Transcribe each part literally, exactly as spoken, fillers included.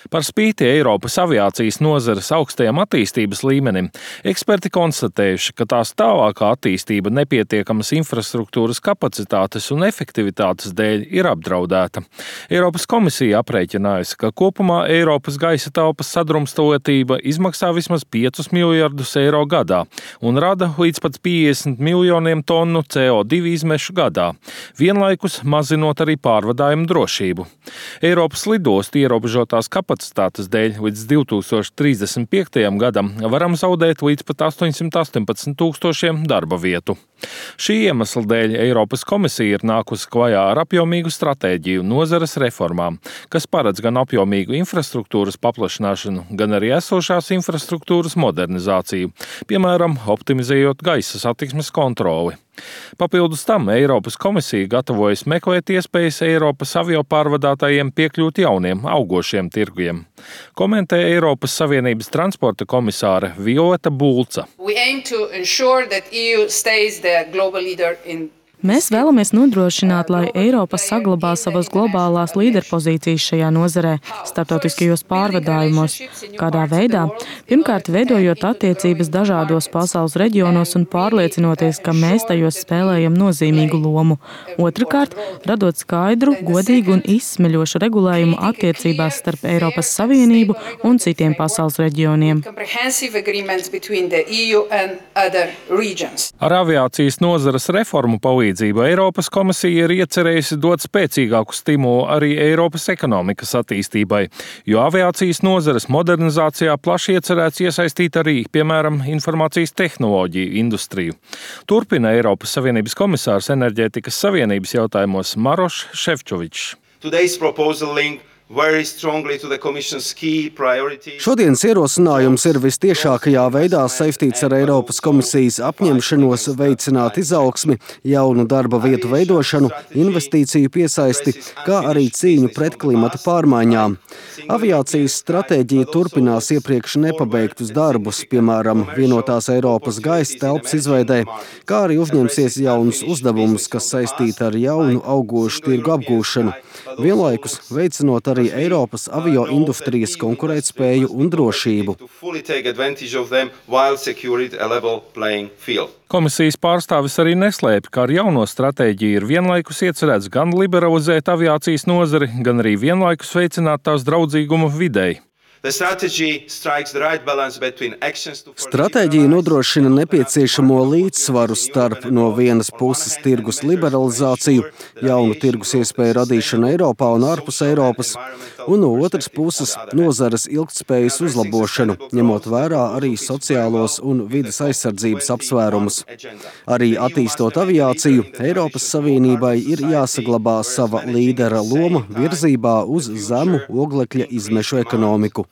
Par spīti Eiropas aviācijas nozares augstajam attīstības līmenim, eksperti konstatējuši, ka tās tālākā attīstība nepietiekamas infrastruktūras kapacitātes un efektivitātes dēļ ir apdraudēta. Eiropas komisija aprēķinājusi, ka kopumā Eiropas gaisa telpas sadrumstalotība izmaksā vismaz piecus miljardus eiro gadā un rada līdz pat piecdesmit miljoniem tonu C O divi izmešu gadā, vienlaikus mazinot arī pārvadājumu drošību. Eiropas lidostu ierobežotās kapacitātes kapacitātes dēļ līdz divi tūkstoši trīsdesmit piektajam gadam varam zaudēt līdz pat astoņsimt astoņpadsmit tūkstošiem darba vietu. Šī iemesla dēļ Eiropas komisija ir nākusi klajā ar apjomīgu stratēģiju nozares reformām, kas paredz gan apjomīgu infrastruktūras paplašināšanu, gan arī esošās infrastruktūras modernizāciju, piemēram, optimizējot gaisa satiksmes kontroli. Papildus tam Eiropas komisija gatavojas meklēt iespējas Eiropas aviopārvadātājiem piekļūt jauniem, augošiem tirgiem. Komentē Eiropas Savienības transporta komisāre Violeta Bulca. Mēs vēlamies nodrošināt, lai Eiropa saglabā savas globālās līderpozīcijas šajā nozarē, starptautiskajos pārvadājumos. Kādā veidā? Pirmkārt, veidojot attiecības dažādos pasaules reģionos un pārliecinoties, ka mēs tajos spēlējam nozīmīgu lomu. Otrakārt, radot skaidru, godīgu un izsmeļošu regulējumu attiecībās starp Eiropas Savienību un citiem pasaules reģioniem. Ar aviācijas nozares reformu palīdzību Eiropas komisija ir iecerējusi dot spēcīgāku stimulu arī Eiropas ekonomikas attīstībai, jo aviācijas nozares modernizācijā plaši iecerēts iesaistīt arī, piemēram, informācijas tehnoloģiju industriju. Turpina Eiropas Savienības komisārs enerģētikas savienības jautājumos Maroš Šefčovičs. Šodienas ierosinājums ir vistiešākajā veidā saistīts ar Eiropas komisijas apņemšanos veicināt izaugsmi, jaunu darba vietu veidošanu, investīciju piesaisti, kā arī cīņu pret klimata pārmaiņām. Aviācijas stratēģija turpinās iepriekš nepabeigtus darbus, piemēram, vienotās Eiropas gaisa telpas izveidē, kā arī uzņemsies jaunus uzdevumus, kas saistīti ar jaunu augošu tirgu apgūšanu, vienlaikus veicinot arī Eiropas avioindustrijas konkurētspēju un drošību. Komisijas pārstāvis arī neslēpj, ka ar jauno stratēģiju ir vienlaikus iecerēts gan liberalizēt aviācijas nozari, gan arī vienlaikus veicināt tās draudzīgumu videi. Stratēģija nodrošina nepieciešamo līdzsvaru starp no vienas puses tirgus liberalizāciju, jaunu tirgus iespēju radīšanu Eiropā un ārpus Eiropas, un no otras puses nozares ilgtspējas uzlabošanu, ņemot vērā arī sociālos un vides aizsardzības apsvērumus. Arī attīstot aviāciju, Eiropas Savienībai ir jāsaglabā sava līdera loma virzībā uz zemu oglekļa izmešu ekonomiku.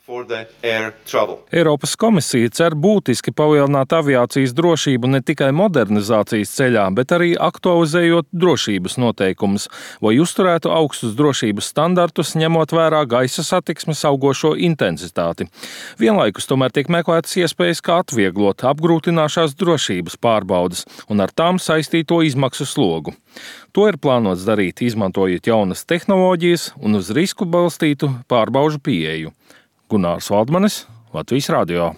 Eiropas komisija cer būtiski palielināt aviācijas drošību ne tikai modernizācijas ceļā, bet arī aktualizējot drošības noteikumus, lai uzturētu augstus drošības standartus, ņemot vērā gaisa satiksmes augošo intensitāti. Vienlaikus tomēr tiek meklētas iespējas, kā atvieglot apgrūtināšās drošības pārbaudes un ar tām saistīto izmaksu slogu. To ir plānots darīt, izmantojot jaunas tehnoloģijas un uz risku balstītu pārbaužu pieeju. Gunārs Valdmanis, Latvijas radio.